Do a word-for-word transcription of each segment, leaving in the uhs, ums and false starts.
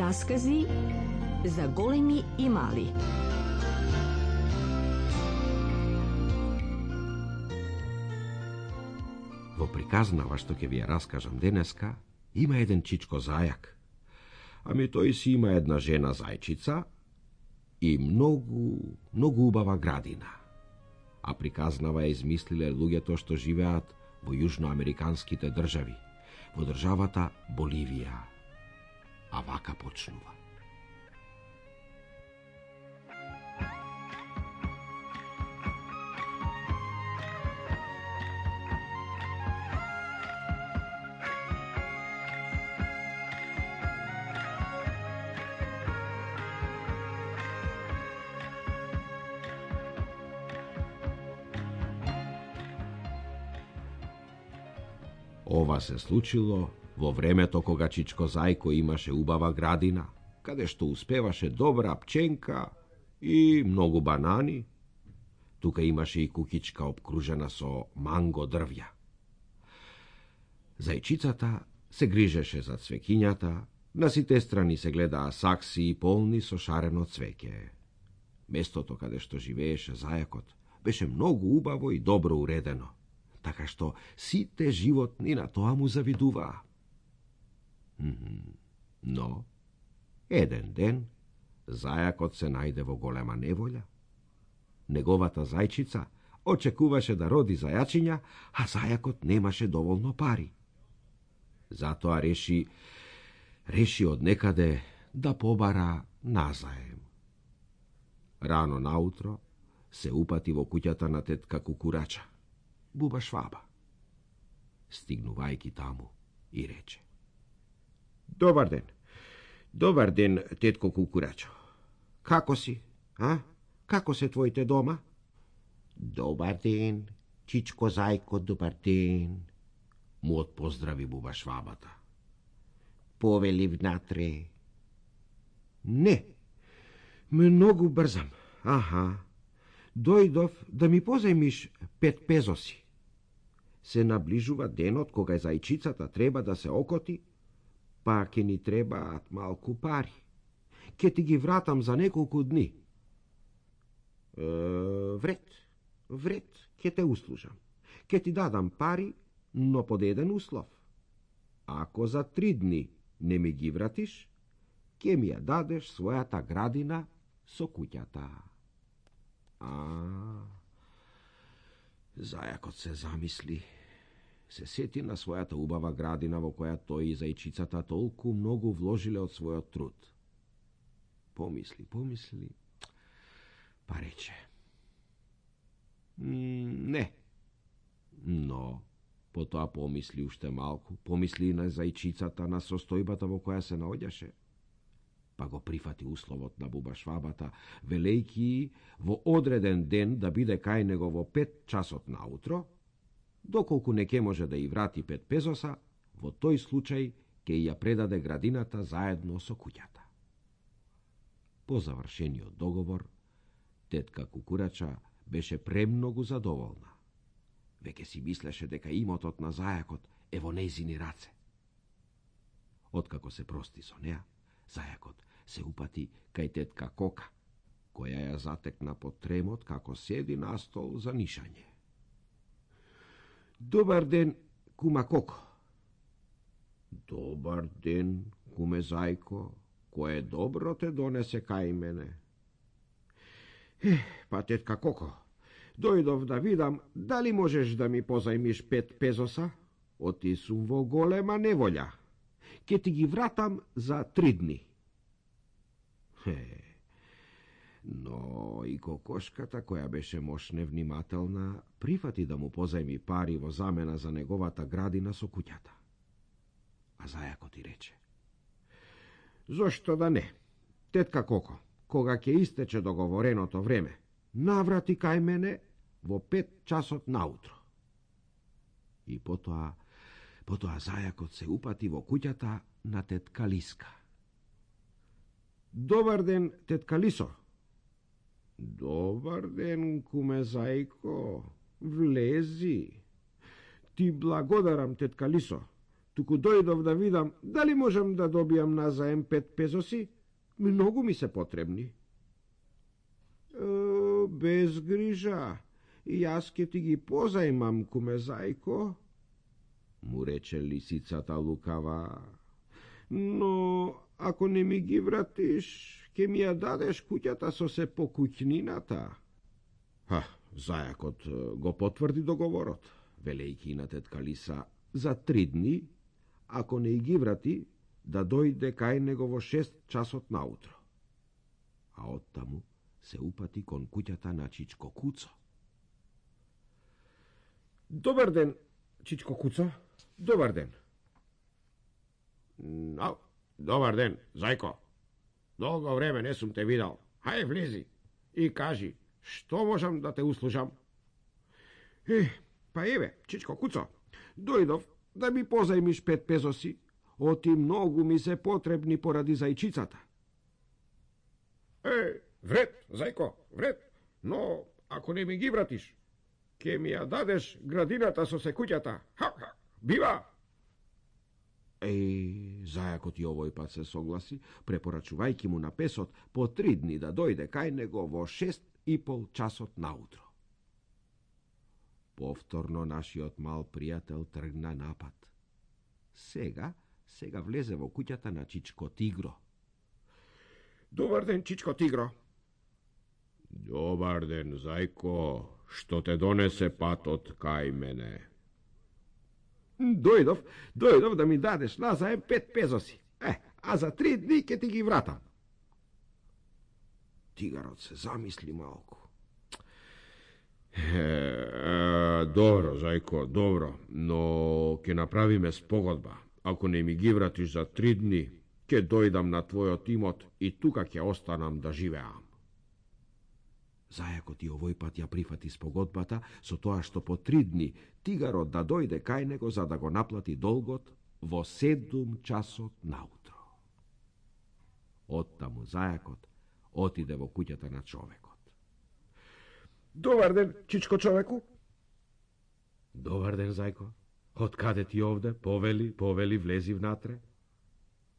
Раскази за големи и мали. Во приказнава што ќе ви ја раскажам денеска, има еден чичко зајак. Ами тој си има една жена зајчица и многу, многу убава градина. А приказнава ја измислиле луѓето што живеат во јужноамериканските држави, во државата Боливија. А вака почнува. Ова се случило во времето кога чичко зајко имаше убава градина, каде што успеваше добра пченка и многу банани. Тука имаше и кукичка обкружена со манго дрвја. Зајчицата се грижеше за цвекињата, на сите страни се гледаа сакси полни со шарено цвеќе. Местото каде што живееше зајакот беше многу убаво и добро уредено, така што сите животни на тоа му завидуваа. Но, еден ден, зајакот се најде во голема неволја. Неговата зајчица очекуваше да роди зајачиња, а зајакот немаше доволно пари. Затоа реши, реши од некаде да побара назаем. Рано наутро се упати во куќата на тетка Кукурача, буба Шваба. Стигнувајќи таму и рече: Добар ден, добар ден, тетко Кукурачо. Како си, а? Како се твоите дома? Добар ден, чичко зајко, добар ден, му отпоздрави буба Швабата. Повели внатре. Не, многу брзам. Аха, дојдов да ми позајмиш пет пезоси. Се наближува денот кога зајчицата треба да се окоти, па ќе ни требаат малку пари. Ке ти ги вратам за неколку дни. Е, вред, Вред, ке те услужам. Ке ти дадам пари, но под еден услов. Ако за три дни не ми ги вратиш, ке ми ја дадеш својата градина со куќата. А, зајакот се замисли. Се сети на својата убава градина во која тој и зајчицата толку многу вложиле од својот труд. Помисли, помисли, па рече: не. Но, потоа помисли уште малку, помисли на зајчицата, на состојбата во која се наоѓаше. Па го прифати условот на буба Швабата, велејки во одреден ден да биде кај него во пет часот наутро. Доколку не ке може да и врати пет пезоса, во тој случај ке ја предаде градината заедно со куќата. По завршениот договор, тетка Кукурача беше премногу задоволна. Веќе си мислеше дека имотот на зајакот е во нејзини раце. Откако се прости со неа, зајакот се упати кај тетка Кока, која ја затекна под тремот како седи на стол за нишање. Добар ден, кума Коко. Добар ден, куме зајко, кое добро те донесе кај мене. Е, па тетка Коко, дојдов да видам дали можеш да ми позајмиш пет пезоса? Оти сум во голема неволја. Ке ти ги вратам за три дни. Хе, но и кокошката, која беше мош невнимателна, прифати да му позајми пари во замена за неговата градина со куќата. А зајакот и рече: Зошто да не? Тетка Коко, кога ќе истече договореното време, наврати кај мене во пет часот наутро. И потоа, потоа зајакот се упати во куќата на тетка Лиска. Добар ден, тетка Лисо. Добар ден, куме зајко, влези. Ти благодарам, тетка Лисо. туку дојдов да видам дали можам да добијам назаем пет пезоси. Многу ми се потребни. Е, без грижа, јас ке ти ги позајмам, куме зајко, му рече лисицата лукава. Но ако не ми ги вратиш, ке ми ја дадеш куќата со се по куќнината. Ха, зајакот го потврди договорот, велејки на тетка Лиса за три дни, ако не ги врати, да дојде кај него во шест часот наутро. А оттаму се упати кон куќата на Чичко Куцо. Добар ден, Чичко Куцо. Добар ден. No, добар ден, зајко. Долго време не сум те видал. Хај, влези и кажи, што можам да те услужам? Е, па еве, Чичко Куцо, дојдов да ми позајмиш пет пезоси. Оти многу ми се потребни поради зајчицата. Е, вред, зајко, вред, но ако не ми ги вратиш, ке ми ја дадеш градината со секуќата. Ха, ха, бива! Еј, зајакот и овој пат се согласи, препорачувајќи му на песот по три дни да дојде кај него во шест и пол часот наутро. Повторно нашиот мал пријател тргна напад. Сега, сега влезе во куќата на Чичко Тигро. Добар ден, Чичко Тигро. Добар ден, зајко, што те донесе патот кај мене? Дојдов, дојдов да ми дадеш назаем пет пезоси. Е, а за три дни ке ти ги вратам. Тигарот се замисли малку. Е, е, добро, зајко, добро, но ќе направиме спогодба. Ако не ми ги вратиш за три дни, ќе дојдам на твојот имот и тука ќе останам да живеам. Зајакот и овој пат ја прифати спогодбата со тоа што по три дни тигарот да дојде кај него за да го наплати долгот во седум часот наутро. Оттаму зајакот отиде во куќата на човекот. Добар ден, Чичко човеку. Добар ден, зајко. Од каде ти овде? Повели, повели, влези внатре.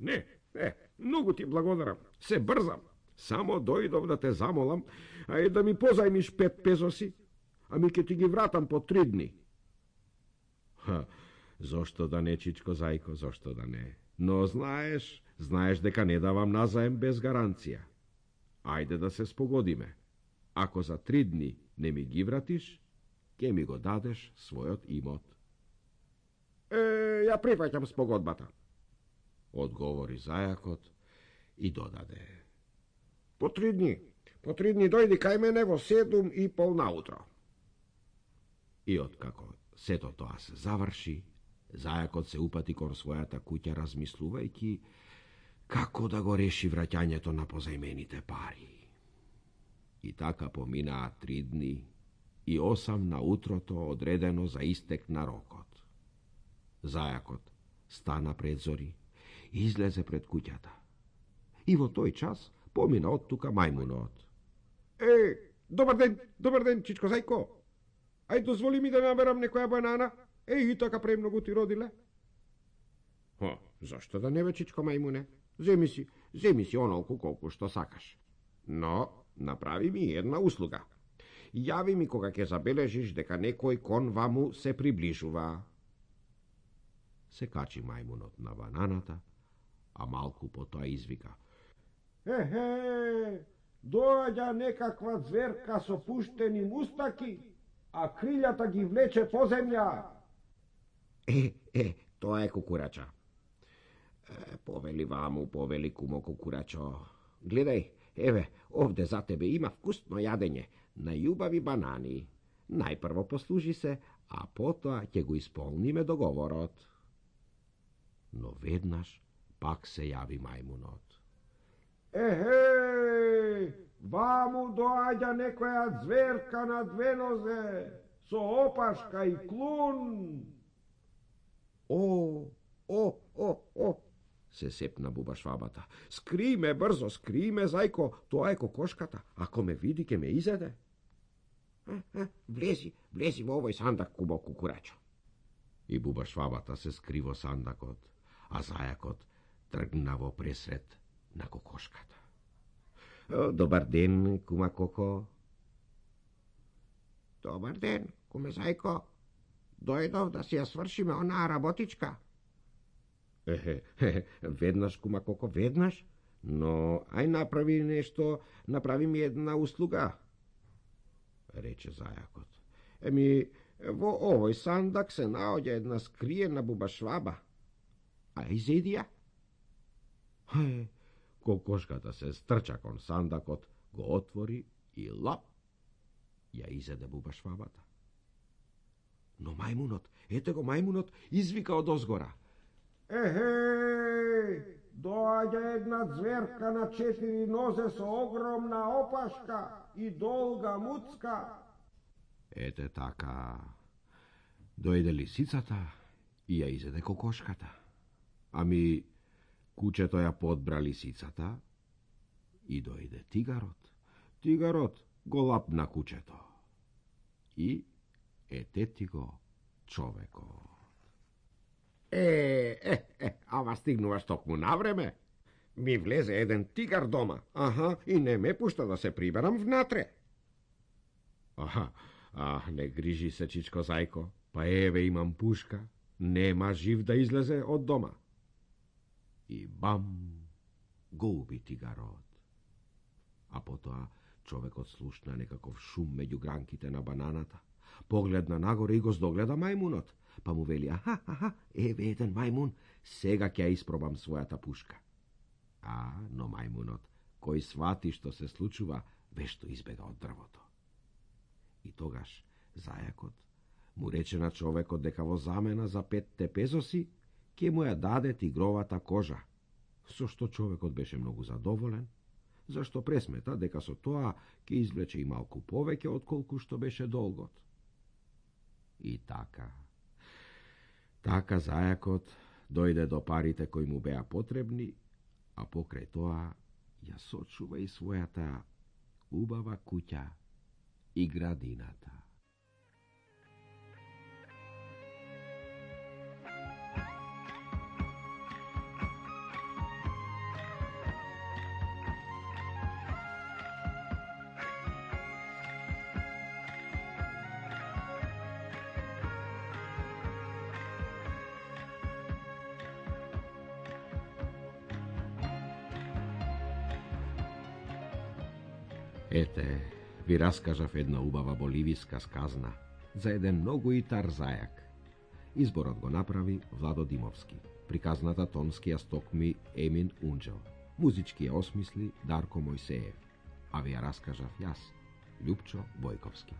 Не, не, многу ти благодарам. Се брзам. Само дојдов да те замолам, а и да ми позајмиш пет пезоси, а ми ке ти ги вратам по три дни. Ха, зошто да не, Чичко зајко, зошто да не? Но знаеш, знаеш дека не давам назаем без гаранција. Ајде да се спогодиме. Ако за три дни не ми ги вратиш, ке ми го дадеш својот имот. Е, ја прифаќам спогодбата, одговори зајакот и додаде. По три дни, по три дни дојди кај мене во седум и пол наутро. И откако сето тоа се заврши, зајакот се упати кон својата куќа размислувајќи како да го реши враќањето на позајмените пари. И така поминаа три дни и осам на утрото одредено за истек на рокот. Зајакот стана пред зори и излезе пред куќата. И во тој час помина од тука мајмунот. Е, добар ден, добар ден, Чичко зајко. Ај дозволи ми да наберам некоја банана. Е, и така премногу ти родиле. О, зашто да не бе, Чичко мајмуне? Земи си, земи си онолку колку што сакаш. Но направи ми една услуга. Јави ми кога ќе забележиш дека некој кон ваму се приближува. Се качи мајмунот на бананата, а малку потоа извика. Ехе, доаѓа некаква зверка со пуштени мустаки, а крилјата ги влече по земја. Е, е, тоа е кукурача. Е, повели ваму, повели кумо кукурачо. Гледај, еве, овде за тебе има вкусно јадење, најубави банани. Најпрво послужи се, а потоа ќе го исполниме договорот. Но веднаш пак се јави мајмунот. Ехе, ваму доаѓа некоја зверка на две нозе, со опашка и клун. О, о, о, о, се сепна бубашвабата. Скри ме брзо, скри ме, зајко, тоа е кокошката. Ако ме види, ке ме изеде. Влези, влези во овој сандак, кубо кукурачо. И буба швабата се скри во сандакот, а зајакот тргна во пресред на кокошката. Добар ден, кума Коко. Добар ден, куме Зајко. Дојдов да си ја свршиме онаа работичка. Ехе, веднаш, кума Коко, веднаш, но ај направи нешто, направи ми една услуга, рече зајакот. Еми, во овој сандак се наоѓа една скриена буба шваба. А изеди ја? Хе, кокошката се стрча кон сандакот, го отвори и лап, ја изеде буба швабата. Но мајмунот, ете го мајмунот, извика од озгора. Ехеј, доаѓа една зверка на четири нозе со огромна опашка и долга муцка. Ете така, дојде лисицата и ја изеде кокошката. Ами, кучето ја подбра лисицата и дојде тигарот. Тигарот го лапна кучето. И ете ти го човекот. Е, е, е, ама стигнуваш токму на време. Ми влезе еден тигар дома, аха, и не ме пушта да се приберам внатре. Аха, а, не грижи се, чичко Зајко, па еве имам пушка, нема жив да излезе од дома. И бам, го уби тигарот. А потоа човекот слушна некаков шум меѓу гранките на бананата. Погледна нагоре и го здогледа мајмунот, па му вели, аха, аха, еве еден мајмун, сега ќе ја испробам својата пушка. А, но мајмунот, кој свати што се случува, вешто избега од дрвото. И тогаш зајакот му рече на човекот дека во замена за петте пезоси ќе му ја даде тигровата кожа, со што човекот беше многу задоволен, зашто пресмета дека со тоа ќе извлече и малку повеќе отколку што беше долгот. И така, така зајакот дојде до парите кои му беа потребни, а покрај тоа ја сочува и својата убава куќа и градината. Ете, ви раскажав една убава боливиска сказна за еден многу итар зајак. Изборот го направи Владо Димовски. Приказната тонски ја стокми Емин Унџел. Музички ја осмисли Дарко Мојсеев. А ви ја раскажав јас, Љупчо Бојковски.